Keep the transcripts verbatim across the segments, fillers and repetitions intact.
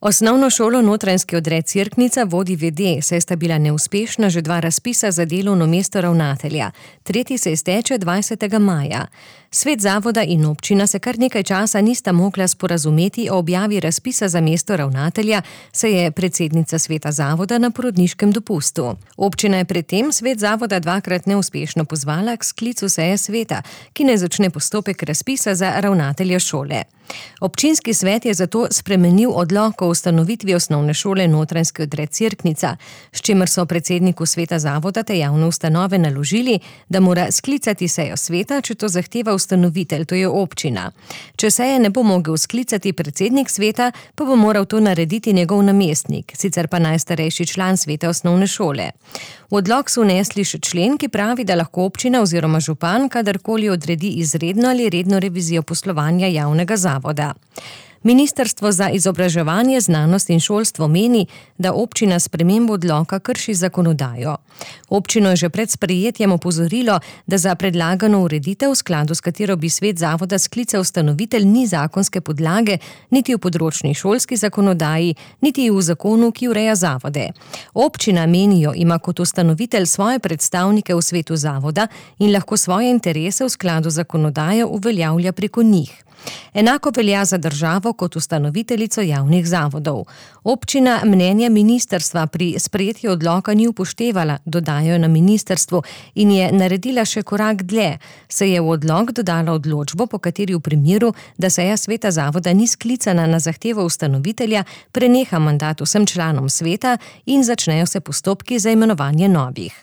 Osnovno šolo Notranjski odred Cerknica vodi ve de, saj sta bila neuspešna že dva razpisa za delovno mesto ravnatelja. Tretji se izteče dvajsetega maja. Svet zavoda in občina se kar nekaj časa nista mogla sporazumeti o objavi razpisa za mesto ravnatelja, saj je predsednica sveta zavoda na porodniškem dopustu. Občina je predtem svet zavoda dvakrat neuspešno pozvala k sklicu seje sveta, ki naj začne postopek razpisa za ravnatelja šole. Občinski svet je zato spremenil odlok o ustanovitvi osnovne šole Notranjski odred Cerknica, s čimer so predsedniku sveta zavoda te javne ustanove naložili, da mora sklicati sejo sveta, če to zahteva ustanovitelj, to je občina. Če seje ne bo mogel sklicati predsednik sveta, pa bo moral to narediti njegov namestnik, sicer pa najstarejši član sveta osnovne šole. V odlok so vnesli še člen, ki pravi, da lahko občina oziroma župan kadarkoli odredi izredno ali redno revizijo poslovanja javnega zavoda. Ministrstvo za izobraževanje, znanost in šolstvo meni, da občina s spremembo odloka krši zakonodajo. Občino je že pred sprejetjem opozorilo, da za predlagano ureditev, v skladu s katero bi svet zavoda sklical ustanovitelj, ni zakonske podlage, niti v področni šolski zakonodaji, niti v zakonu, ki ureja zavode. Občina, menijo, ima kot ustanovitelj svoje predstavnike v svetu zavoda in lahko svoje interese v skladu z zakonodajo uveljavlja preko njih. Enako velja za državo kot ustanoviteljico javnih zavodov. Občina mnenja ministrstva pri sprejetju odloka ni upoštevala, dodajo na ministrstvu, in je naredila še korak dlje, se je v odlok dodala odločbo, po kateri v primeru, da seja sveta zavoda ni sklicana na zahtevo ustanovitelja, preneha mandat vsem članom sveta in začnejo se postopki za imenovanje novih.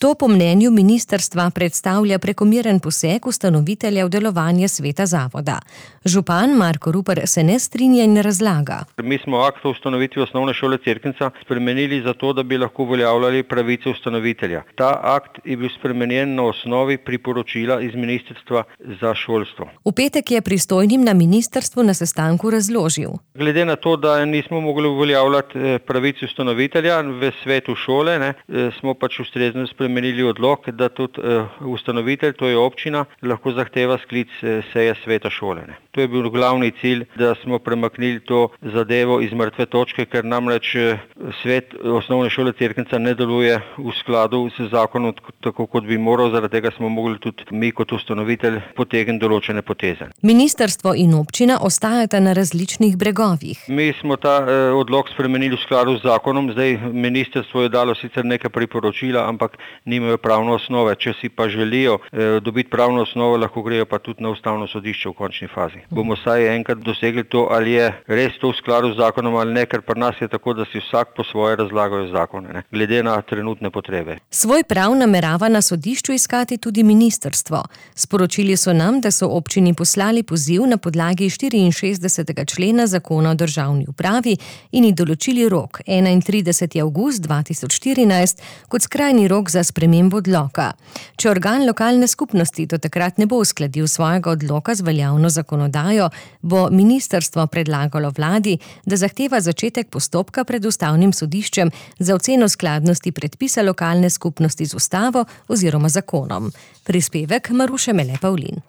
To po mnenju ministrstva predstavlja prekomeren poseg ustanovitelja v delovanje sveta zavoda. Župan Marko Rupar se ne strinja in razlaga. Mi smo akt o ustanovitvi osnovne šole Cerknica spremenili zato, da bi lahko uveljavljali pravice ustanovitelja. Ta akt je bil spremenjen na osnovi priporočila iz ministrstva za šolstvo. V petek je pristojnim na ministrstvu na sestanku razložil. Glede na to, da nismo mogli uveljavljati pravice ustanovitelja v svetu šole, ne, smo pač ustrezno spremenili menili odlok, da tudi uh, ustanovitelj, to je občina, lahko zahteva sklic uh, seje sveta šole. Ne. To je bil glavni cilj, da smo premaknili to zadevo iz mrtve točke, ker namreč uh, svet osnovne šole Cerknica ne deluje v skladu s zakonom tako, kot bi moral, zaradi tega smo mogli tudi mi kot ustanovitelj potegniti določene poteze. Ministrstvo in občina ostajata na različnih bregovih. Mi smo ta uh, odlok spremenili v skladu z zakonom, zdaj ministrstvo je dalo sicer nekaj priporočila, ampak nimajo pravno osnove. Če si pa želijo eh, dobiti pravno osnovo, lahko grejo pa tudi na ustavno sodišče v končni fazi. Bomo saj enkrat dosegli to, ali je res to v skladu z zakonom ali ne, ker pri nas je tako, da si vsak po svoje razlagajo zakone, ne, glede na trenutne potrebe. Svoj prav namerava na sodišču iskati tudi ministrstvo. Sporočili so nam, da so občini poslali poziv na podlagi štiriinšestdesetega člena zakona o državni upravi in ji določili rok enaintrideseti avgust dva tisoč štirinajst kot skrajni rok za spremembo odloka. Če organ lokalne skupnosti do takrat ne bo uskladil svojega odloka z veljavno zakonodajo, bo ministrstvo predlagalo vladi, da zahteva začetek postopka pred ustavnim sodiščem za oceno skladnosti predpisa lokalne skupnosti z ustavo oziroma zakonom. Prispevek Maruše Mele Pavlin.